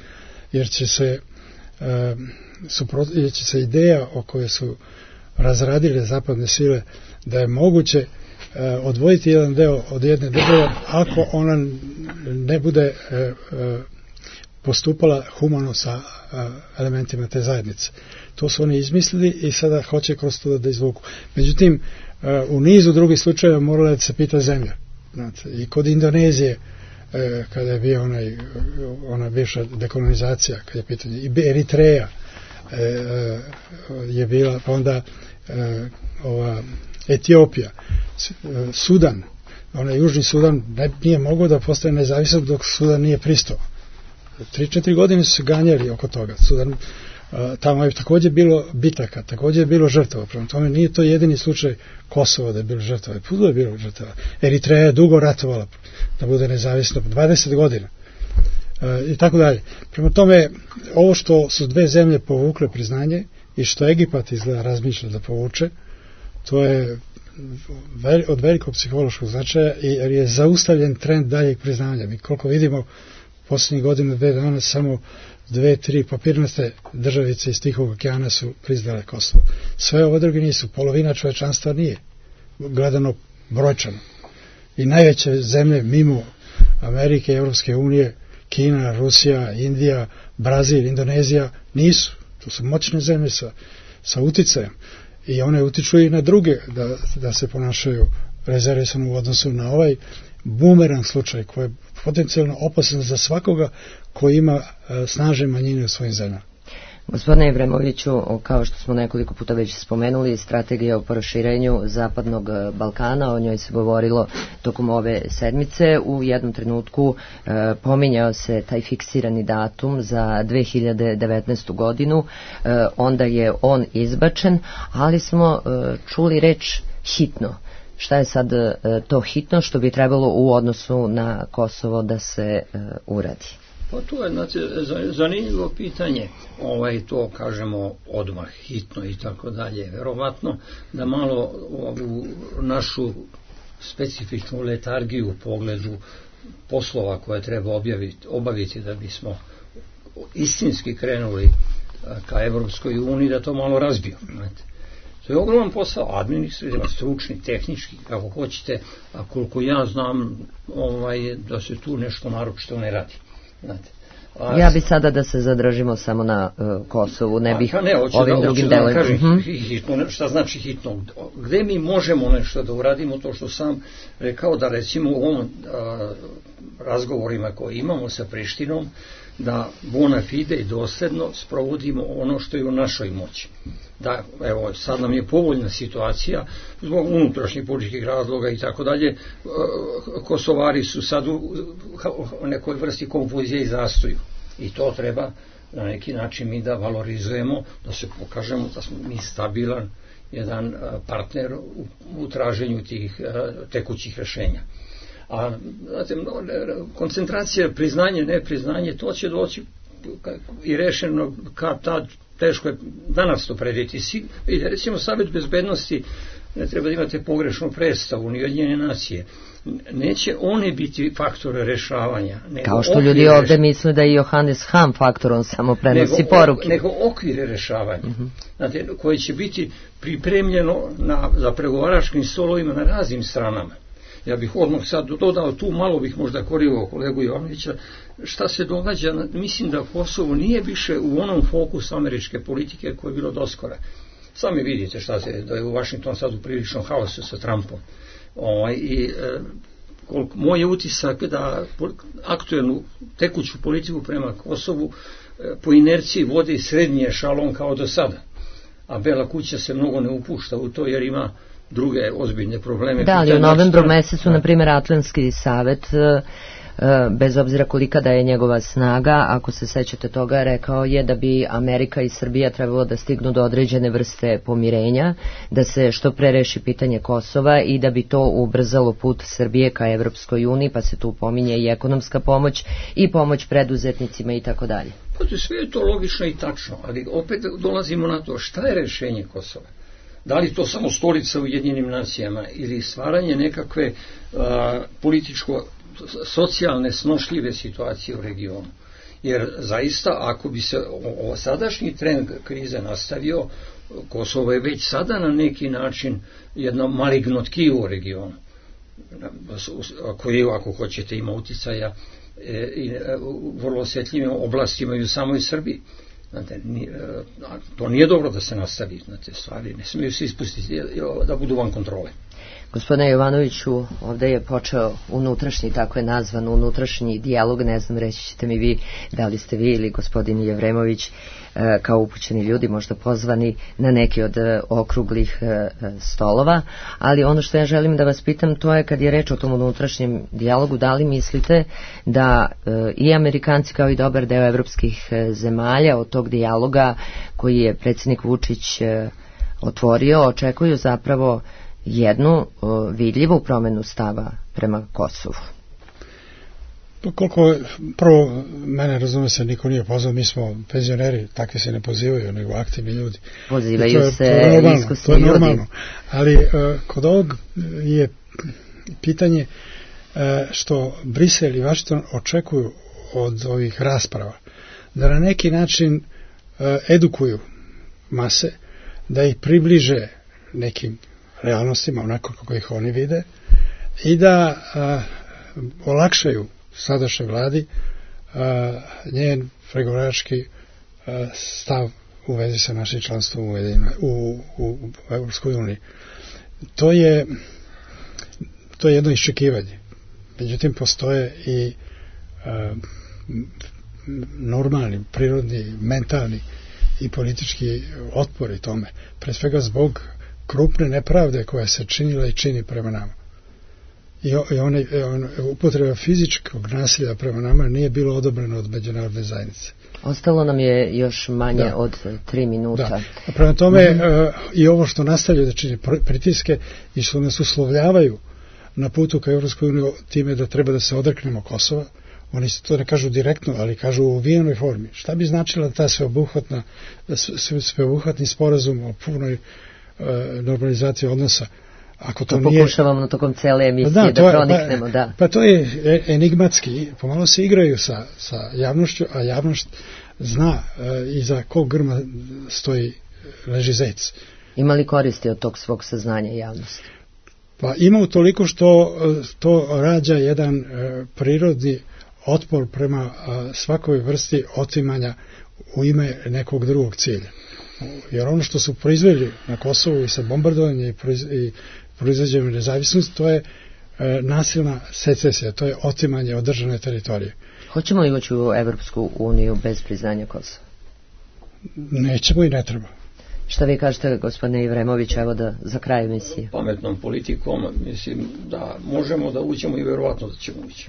jer će se um, suprot, jer će se ideja o kojoj su razradile zapadne sile da je moguće odvojiti jedan deo od jedne države ako ona ne bude postupala humano sa elementima te zajednice. To su oni izmislili i sada hoće kroz to da izvuku. Međutim, u nizu drugih slučajeva morala da se pita zemlja. Znate, i kod Indonezije, e, kada je bio onaj, ona bivša dekolonizacija, kada je pitanje, i Eritreja e, e, je bila, pa onda e, ova Etiopija, Sudan, onaj Južni Sudan ne, nije mogao da postane nezavisan dok Sudan nije pristao. Tri, četiri godine su se ganjali oko toga. Sudan, a, tamo je također bilo bitaka, također je bilo žrtava. Prema tome nije to jedini slučaj Kosova da je bilo žrtava. Puno je bilo žrtava. Eritreja je dugo ratovala da bude nezavisno, dvadeset godina. A, I tako dalje. Prema tome, ovo što su dve zemlje povukle priznanje i što Egipat izgleda razmišlja da povuče, to je od velikog psihološkog značaja jer je zaustavljen trend daljeg priznanja. Mi koliko vidimo posljednjih godina, dve dana, samo dve, tri papirnaste državice iz Tihog okeana su priznale Kosovo. Sve ove druge nisu, polovina čovečanstva nije, gledano brojčano. I najveće zemlje mimo Amerike, Evropske unije, Kina, Rusija, Indija, Brazil, Indonezija, nisu. To su moćne zemlje sa, sa uticajem. I one utiču i na druge da, da se ponašaju rezervisano u odnosu na ovaj bumerang slučaj koji je potencijalno opasan za svakoga koji ima uh, snažne manjine u svojim zemljama. Gospodine Ibremoviću, kao što smo nekoliko puta već spomenuli, strategija o proširenju Zapadnog Balkana, o njoj se govorilo tokom ove sedmice. U jednom trenutku e, pominjao se taj fiksirani datum za dve hiljade devetnaestu godinu, e, onda je on izbačen, ali smo e, čuli reč hitno. Šta je sad e, to hitno što bi trebalo u odnosu na Kosovo da se e, uradi? Pa to je, znači, zanimljivo pitanje, ovaj, to kažemo odmah, hitno i tako dalje. Verovatno da malo ovu našu specifičnu letargiju u pogledu poslova koje treba objaviti, obaviti da bismo istinski krenuli ka Evropskoj uniji, da to malo razbio. Znate. To je ogroman posao, administrativno, stručni, tehnički, kako hoćete, a koliko ja znam ovaj, da se tu nešto naročito ne radi. Znate, a, ja bi sada da se zadržimo samo na uh, Kosovu, ne bih a, ne, ovim da, drugim da delovima. kažem, uh-huh. hitno, šta znači hitno? Gde mi možemo nešto da uradimo, to što sam rekao, da recimo u ovom a, razgovorima koje imamo sa Prištinom, da bona fide i dosljedno sprovodimo ono što je u našoj moći. Da, evo, sad nam je povoljna situacija zbog unutrašnjih političkih razloga i tako dalje. Kosovari su sad u nekoj vrsti konfuzije i zastoju. I to treba na neki način mi da valorizujemo, da se pokažemo da smo mi stabilan jedan partner u, u traženju tih tekućih rešenja. A znate, koncentracija, priznanje, nepriznanje, to će doći i rešeno kad tad, teško je danas to predvidjeti. Vidite, recimo Savet bezbednosti, ne treba da imate pogrešnu predstavu, ni Ujedinjene nacije, neće oni biti faktore rešavanja. Kao što ljudi reš... ovde misle da je Johannes Hahn faktor, on samo prenosi nego, poruke. Nego okvire rešavanja, uh-huh. Znate, koje će biti pripremljeno na, za pregovaračkim stolovima na raznim stranama. Ja bih odmah sad dodao tu, malo bih možda korigao kolegu Jovanovića, šta se događa, mislim da Kosovo nije više u onom fokusu američke politike koje je bilo doskora. Sami vidite šta se, da je u Washington sad u priličnom haosu sa Trumpom. O, i, e, koliko, moj je utisak da aktuelnu tekuću politiku prema Kosovu e, po inerciji vodi srednji ešalon kao do sada. A Bela kuća se mnogo ne upušta u to jer ima druge ozbiljne probleme. Da, ali u novembru mesecu, na primjer, Atlantski savet, bez obzira kolika da je njegova snaga, ako se sećate toga, rekao je da bi Amerika i Srbija trebalo da stignu do određene vrste pomirenja, da se što pre reši pitanje Kosova i da bi to ubrzalo put Srbije ka Evropskoj uniji, pa se tu pominje i ekonomska pomoć i pomoć preduzetnicima i tako dalje. Sve je to logično i tačno, ali opet dolazimo na to šta je rešenje Kosova. Da li to samo stolica u Ujedinjenim nacijama ili stvaranje nekakve a, političko-socijalne snošljive situacije u regionu. Jer zaista, ako bi se o, o sadašnji trend krize nastavio, Kosovo je već sada na neki način jedno maligno tkivo u regionu, koje, ako hoćete, ima uticaja e, i e, vrlo osjetljivim oblastima i u samoj Srbiji. Znate, to nije dobro da se nastavi, znate, stvari ne smiju se ispustiti da budu van kontrole. Gospodine Jovanoviću, ovde je počeo unutrašnji, tako je nazvan, unutrašnji dijalog, ne znam, reći ćete mi vi da li ste vi ili gospodin Jevremović kao upućeni ljudi možda pozvani na neki od okruglih stolova, ali ono što ja želim da vas pitam to je kad je reč o tom unutrašnjem dijalogu, da li mislite da i Amerikanci kao i dobar deo evropskih zemalja od tog dijaloga koji je predsjednik Vučić otvorio, očekuju zapravo jednu vidljivu promenu stava prema Kosovu? Koliko, prvo, mene razume se, niko nije pozvao, mi smo penzioneri, takvi se ne pozivaju, nego aktivni ljudi. Pozivaju to, se iskusni ljudi. To je normalno, ali uh, kod ovog je pitanje uh, što Brisel i Washington očekuju od ovih rasprava, da na neki način uh, edukuju mase, da ih približe nekim realnostima, onako kako ih oni vide, i da uh, olakšaju sadašnjoj vladi uh, njen pregovarački uh, stav u vezi sa našim članstvom u, u, u, u Evropskoj uniji. To je to je jedno iščekivanje. Međutim, postoje i uh, normalni, prirodni, mentalni i politički otpori tome. Pre svega zbog krupne nepravde koja se činila i čini prema nama. I, i one, on, upotreba fizičkog nasilja prema nama nije bilo odobreno od međunarodne zajednice. Ostalo nam je još manje da. od tri minuta. Da. A prema tome mm-hmm. uh, i ovo što nastavljaju da čini pritiske i što nas uslovljavaju na putu ka Evropskoj uniji time da treba da se odreknemo Kosova, oni to ne kažu direktno, ali kažu u uvijenoj formi. Šta bi značila ta sveobuhvatna, sveobuhvatni sporazum o punoj uh, normalizaciji odnosa? Ako to, to nije... pokušavamo na tokom cele emisije da, da proniknemo, pa, da. Pa to je enigmatski, pomalo se igraju sa, sa javnošću, a javnost zna uh, iza kog grma stoji leži zec. Ima li koristi od tog svog saznanja javnosti? Pa ima utoliko što to rađa jedan uh, prirodni otpor prema uh, svakoj vrsti otimanja u ime nekog drugog cilja. Jer ono što su proizveli na Kosovu i sa bombardovanjem i, proiz, i proizvođenjem nezavisnosti, to je e, nasilna secesija, to je otimanje od državne teritorije. Hoćemo li ući u Evropsku uniju bez priznanja Kosova? Nećemo i ne treba. Šta vi kažete, gospodine Jevremović, evo da za kraj emisije? Pametnom politikom mislim da možemo da uđemo i verovatno da ćemo ući.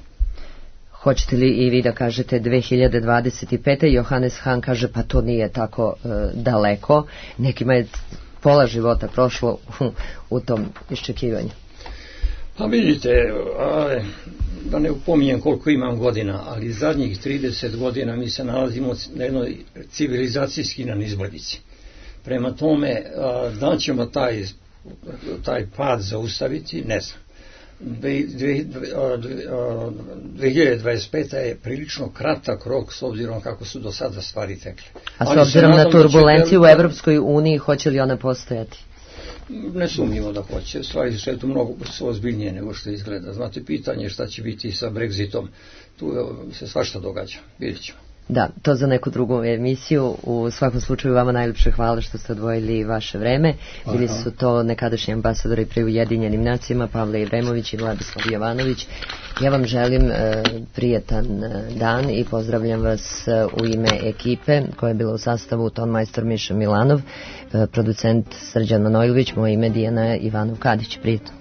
Hoćete li i vi da kažete dve hiljade dvadeset pete. Johannes Hahn kaže pa to nije tako e, daleko. Nekima je pola života prošlo u, u tom iščekivanju. Pa vidite, a, da ne upominjem koliko imam godina, ali zadnjih trideset godina mi se nalazimo na jednoj civilizacijski na nizbrdici. Prema tome, a, da ćemo taj, taj pad zaustaviti, ne znam. dve hiljade dvadeset peta. je prilično kratak rok s obzirom kako su do sada stvari tekle. A s obzirom na turbulenciju u Evropskoj uniji, hoće li ona postojati? Ne sumnjivo da hoće. Stvari su eto mnogo su ozbiljnije nego što izgleda. Znate, pitanje šta će biti sa Brexitom, tu se svašta događa. Vidjet ćemo. Da, to za neku drugu emisiju. U svakom slučaju vama najljepše hvala što ste odvojili vaše vreme. Bili su to nekadašnji ambasadori pri Ujedinjenim nacijama Pavle Jevremović i Vladislav Jovanović. Ja vam želim e, prijetan dan i pozdravljam vas u ime ekipe koja je bila u sastavu tonmajstor Miša Milanov, e, producent Srđan Manojlović, moje ime Dijana Ivanov Kadić. Prijetno.